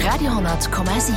Radio 10,7.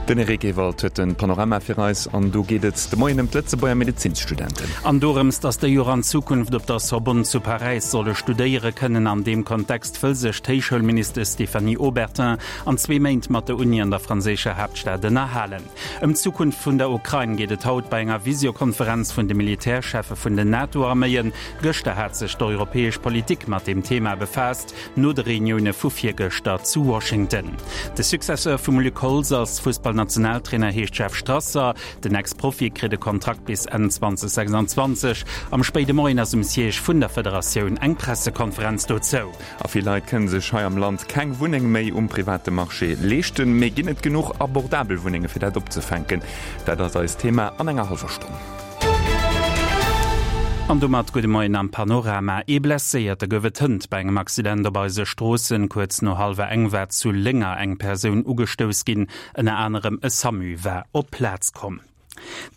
Den Eric Ewald huet den Panorama fir eis an do geet et de Moien ëm d'Lëtzebuerger Medezinsstudenten. An dorëms, datt déi och an Zukunft op der Sorbonne zu Paräis solle studéiere kënnen. An deem Kontext wëll sech d'Héichschoulministesch Stéphanie Obertin an zwee Méint mat der Uni an der franséischer Haaptstad ënnerhalen. Ëm d'Zukunft vun der Ukrain geet et haut bei enger Visiokonferenz vun de Militärcheffe vun den NATO-Arméien. Gëschter hat sech d'europäesch Politik mat deem Thema befaasst, no de Reunioune vu virgëschter zu Washington. De Successeur vum Luc Holtz als Fussballnationaltrainer heescht Jeff Strasser. Den Ex-Profi kritt e Kontrakt bis Enn 2026. Am spéide Moien ass um Siège vun der Federatioun eng Pressekonferenz dozou. A vill Leit kënne sech hei am Land keng Wunneng méi um private Marché leeschten. Mee ginn et genuch abordabel Wunnenge fir dat opzefänken? Dat ass eist Thema an enger hallwer Stonn. An domat gudde Moien am Panorama. Ee Blesséierte gouf et hënt bei engem Accident op eise Stroossen. Kuerz no hallwer eng war zu Lénger eng Persoun ugestouss ginn. Ënner anerem e Samu war op d'Plaz komm.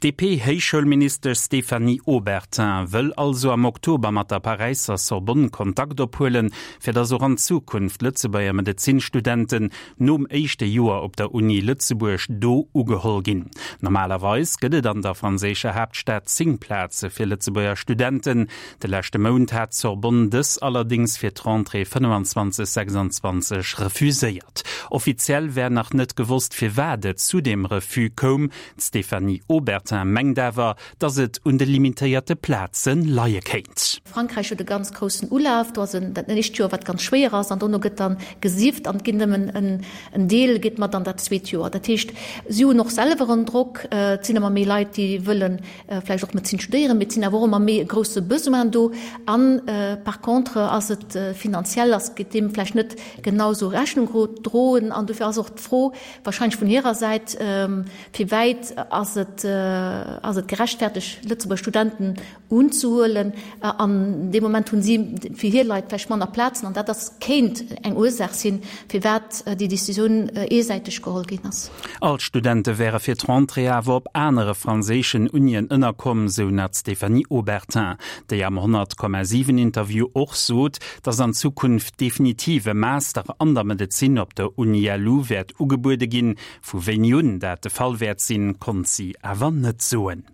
D'DP-Héichschoulministesch Stéphanie Obertin wëll also am Oktober mat der Paräisser Sorbonne Kontakt ophuelen, fir datt och an Zukunft Lëtzebuerger Medezinstudenten nom éischte Joer op der Uni Lëtzebuerg do ugeholl ginn. Normalerweis gëtt et an der franséischer Haaptstad 10 Plaze fir Lëtzebuerger Studenten. De leschte Mount hat d'Sorbonne dës allerdéngs fir d'Rentrée 25, 26 refuséiert. Offiziell wär nach net gewosst, firwat et zu deem Refus koum. D'Stéphanie Obertin mengt awer, datt et un de limitéierte Plaze leie kéint. Frankräich huet e ganz groussen Ulaf. Do ass en dat éischt Joer, wat ganz schwéier ass, an dono gëtt dann gesift an et ginn nëmmen en Deel geet mat an dat zweet Joer. Dat heescht, si hunn och selwer en Drock. Et sinn ëmmer méi Leit, déi wëlle vläicht och Medezin studéieren, mee et sinn awer och ëmmer méi e grousse Besoin do. An par contre ass et finanziell ass gëtt deem vläicht net genau esou Rechnung gedroen. An dofir ass och d'Fro, Wahrscheinlech vun hirer Säit, Fir wäit ass et ass et gerechtfertegt, Lëtzebuerger Studenten unzehuelen? An dee Moment hunn si fir hir Leit vläicht manner Plazen. An dat ass kéint eng Ursaach sinn, firwat déi Decisioun eesäiteg geholl ginn ass. All d'Studente wäre fir d'Rentrée awer op anere franséischen Unien ënnerkomm, sou nach d'Stéphanie Obertin, déi am 100,7 Interview och sot, datt an Zukunft definitiv e Master an der Medezin op der UniLu wäert ugebuede ginn. Vu wéini un dat de Fall wäert sinn, konnt si awer net soen.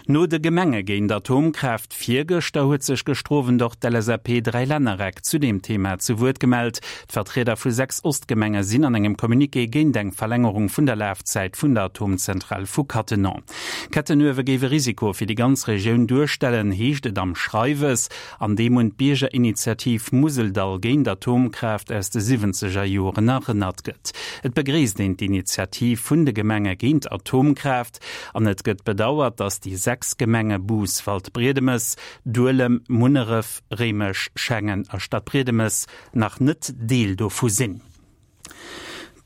No de Gemenge géint Atomkraaft virgëschter huet sech gëschter Owend och d'LSAP-Dräilännereck zu deem Thema zu Wuert gemellt. D'Vertrieder vu 6 Ostgemenge sinn an engem Communiqué géint eng Verlängerung vun der Lafzäit vun der Atomzentral vu Cattenom. Kettenuewe géif e Risiko fir déi ganz Regioun duerstellen, heescht et am Schreiwes. an deem un d'Biergerinitiativ Museldall géint Atomkraaft aus de siwwenzeger Joren erënnert gëtt. Et begréisst een d'Initiativ vun de Gemenge géint Atomkraaft an et gëtt bedauert, datt déi 6 Gemenge Bous, Waldbriedemes, Duelem, Munneref, Réimech, Schengen a Stadbriedemes nach net Deel dovu sinn.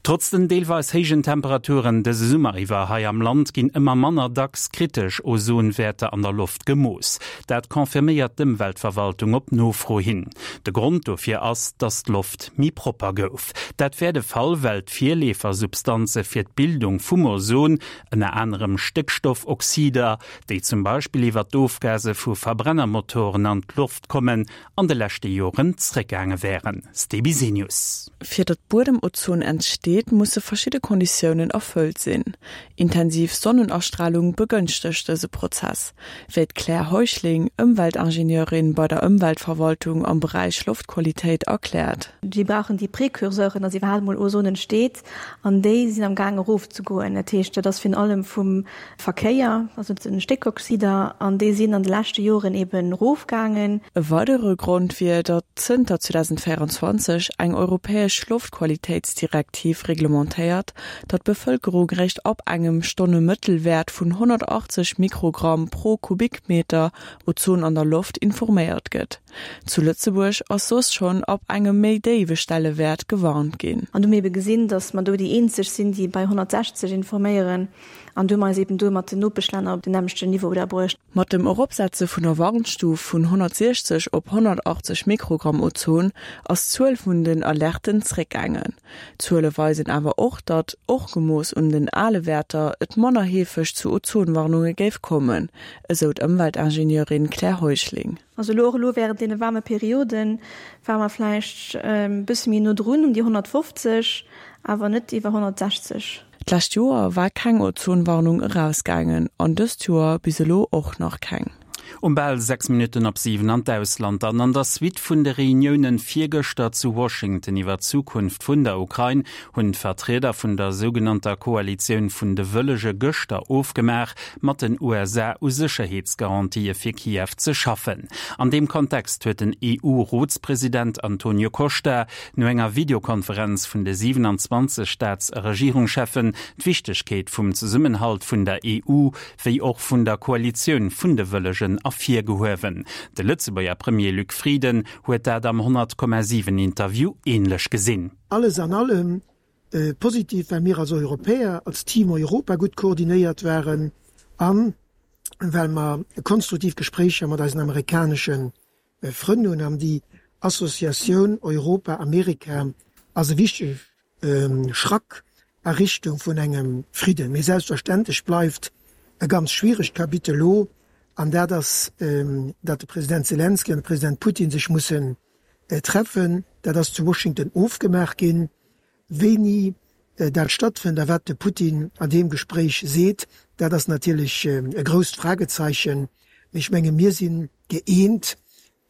Trotz den deelweis héijen Temperaturen dëse Summer iwwer hei am Land ginn ëmmer manner dacks kritesch Ozonwäerter an der Loft gemooss. Dat confirméiert d'Ëmweltverwaltung op Nofro hin. De Grond dofir ass, dass d'Loft méi propper gouf. Dat wär de Fall, well d'Virleefersubstanze fir d'Bildung vum Ozon, ënner anerem Stéckstoffoxider, déi zum Beispill iwwer d'Ofgase vu Verbrennermotoren an d'Loft kommen, an de leschte Joren zréckgaange wären. Ste Bisenius. Fir datt Buedemozon entsteet, musse verschidde Konditiounen erfëllt sinn. Intensiv Sonnenastralung begënschtegt dëse Prozess, wéi d'Claire Heuschling, Ëmweltingenieurin bei der Ëmweltverwaltung am Beräich Loftqualitéit, erkläert. Déi brauchen déi Precurseuren, datt iwwerhaapt emol Ozon entsteet, an déi sinn am Gaang erofzegoen. Dat heescht, dat ass virun allem vum Verkéier, also den Stéckoxider, an déi sinn an de leschte Joren eben erofgaangen. E weidere Grond wier, datt zënter 2024 eng europäesch Loftqualitéitsdirektiv reglementéiert, datt d'Bevëlkerung réischt ab engem Stonnemëttelwäert vun 180 Mikrogramm pro Kubikmeter Ozon an der Loft informéiert gëtt. Zu Lëtzebuerg ass soss schonn ab engem méi déiwe Stellewäert gewarnt ginn. An du hu mir ebe gesinn, datt mer do déi eenzeg sinn, déi bei 160 informéieren. An du hu mer eis eben do mat den Nopeschlänner op den nämmlechten Niveau da bruecht. Mat dem Eropsetze vun der Warnstuf vun 160 op 180 Mikrogramm Ozon ass d'Zuel vun den Alerten zréckgaangen. D'Zuele weisen. weisen awer och, datt, och gemooss un den ale Wäerter, et manner heefeg zu Ozonwarnunge géif kommen, esou d'Ëmweltingenieurin Claire Heuschling. Also elo och elo während deene waarme Perioden ware mer vläicht e bësse méi no drun um déi 150, awer net iwwer 160. D'lescht Joer war keng Ozonwarnung erausgaangen an dëst Joer bis elo och nach keng. Um bal 6 Minutten op 7 an d'Ausland dann. An der Suite vun de Reuniounen virgëschter zu Washington iwwer d'Zukunft vun der Ukrain hunn d'Vertrieder vun der sougenannter Koalitioun vun de Wëllege gëschter ofgemaach, mat den USA u Sécherheetsgarantië fir Kiew ze schaffen. An deem Kontext huet den EU-Rotspresident Antonio Costa no enger Videokonferenz vun de 27 Staats a Regierungscheffen d'Wichtegkeet vum Zesummenhalt vun der EU wéi och vun der Koalitioun vun de Wëllegen ervirgehuewen. De Lëtzebuerger Premier Luc Frieden huet dat am 100,7 Interview änlech gesinn. Alles an allem positiv, well mir als Europäer, als Team Europa gutt koordinéiert waren a well mer konstruktiv Gespréicher mat eisen amerikanesche Frënn hunn. An déi Associatioun Europa-Amerika ass e wichtege Schrack a Richtung vun engem Fridden. Mee selbstverständlech bleift e ganz schwieregt Kapitel elo, an dat ass, datt de President Selenskyj an de President Putin sech mussen treffen. Dat ass zu Washington ofgemaach ginn. Wéini dat stattfënnt a wat de Putin an deem Gespréich seet, dat ass natierlech e grousst Fragezeichen. Mee ech menge mir si gëeent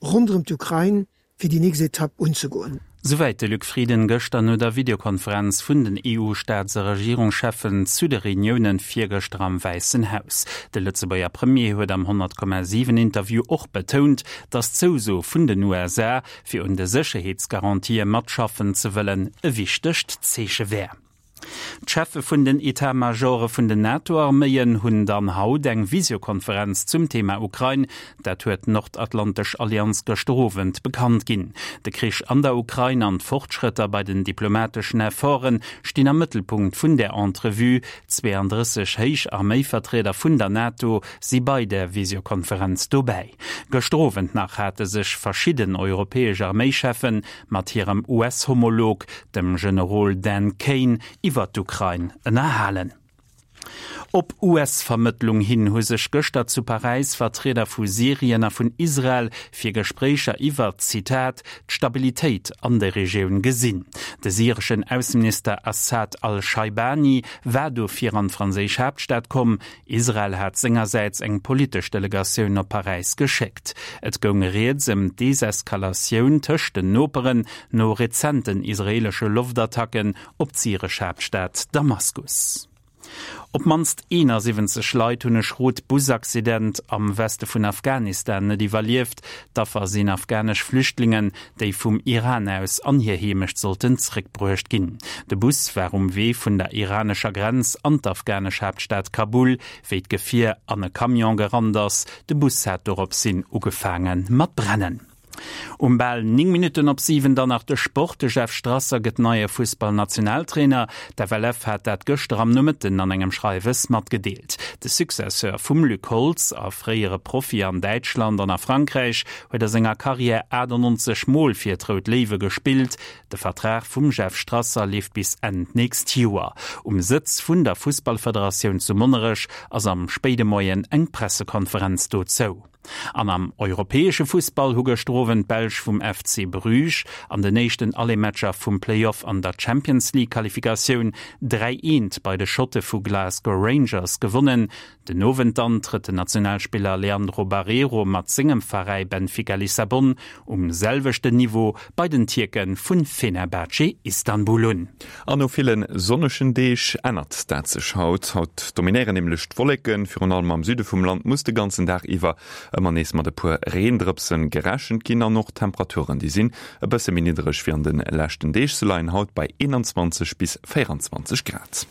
ronderëm d'Ukrain, fir déi nächst Etapp unzegoen. Souwäit de Luc Frieden gëschter no der Videokonferenz vun den EU-Staats a Regierungscheffen zu de Reuniounen virgëschter am Wäissen Haus. De Lëtzebuerger Premier huet am 100,7 Interview och betount, datt d'Zouso vun den USA, fir un de Sécherheetsgarantië matschaffen ze wëllen, e wichtegt Zeeche wär. D'Cheffe vun den Etat-Majore vun den NATO-Arméien hunn dann haut eng Visiokonferenz zum Thema Ukrain. Dat huet d'Nordatlantesch Allianz gëschter Owend bekannt ginn. De Krich an der Ukrain an d'Fortschrëtter bei den diplomateschen Efforte stinn am Mëttelpunkt vun där Entrevue. 32 héich Arméivertrieder vun der NATO si bei där Visiokonferenz dobäi. Gëschter Owend nach hate sech verschidden europäesch Arméicheffen mat hirem US-Homolog, dem Generol Dan Caine, iwwer d'Ukrain ënnerhalen. Op US-Vermëttlung hin hu sech gëschter zu Paräis Vertrieder vu Syrien a vun Israel fir Gespréicher iwwer, Zitat, d'Stabilitéit an der Regioun gesinn. De syreschen Ausseminister Assad al-Schaibani war dofir an d'franséisch Haaptstad komm. Israel hat sengersäits eng politesch Delegatioun op Paräis geschéckt. Et goung rieds ëm d'Deseskalatioun tëscht den Noperen no rezenten israeelesche Loftattacken op d'syresch Haaptstad Damaskus. Op d'mannst 71 Leit hunn e schrot Busaccident am Weste vun Afghanistan net iwwerlieft. D'Affer sinn afghanesch Flüchtlingen, déi vum Iran aus an hir Heemecht sollten zréckbruecht ginn. De Bus war um Wee vun der iranescher Grenz an d'afghanesch Haaptstad Kabul, wéi d'Gefier an e Camion gerannt ass. De Bus hat doropshin ugefaange mat brennen. Um bal 9 Minutten op 7 dann nach de Sport, De Jeff Strasser gëtt neie Fussballnationaltrainer. D'FLF hat dat gëschter am Nomëtten an engem Schreiwes matgedeelt. De Successeur vum Luc Holtz a fréiere Profi an Däitschland an a Frankräich huet a senger Karriär 98 Mol fir d'Rout Léiwe gespillt. De Vertrag vum Jeff Strasser leeft bis Enn d'nächst Joer. Um Sëtz vun der Fussballfederatioun zu Monnerech ass am spéide Moien eng Pressekonferenz dozou. An am europäesche Fussball hu gëschter Owend d'Belsch vum FC Bruges an den éischten Aller-Matcher vum Play-Off an der Champions League-Qualifikatioun 3, 1 bei de Schotte vu Glasgow Rangers gewonnen. Den Owend dann trëtt den Nationalspiller Leandro Barreiro mat sengem Veräi Benfica Lissabon um selwechten Niveau bei den Tierke vu Fenerbahce Istanbul un. An no ville sonnegen Deeg ännert dat sech haut. Haut dominéieren nämlech d'Wolleken. Virun allem am Süde vum Land muss de ganzen Dag iwwer ëmmer nees mat e puer Reendrëpse gerechent ginn. An och d'Temperaturen, déi sinn e bësse méi niddereg wéi an de leschten Deeg. Se leien haut bei 21 bis 24 Grad.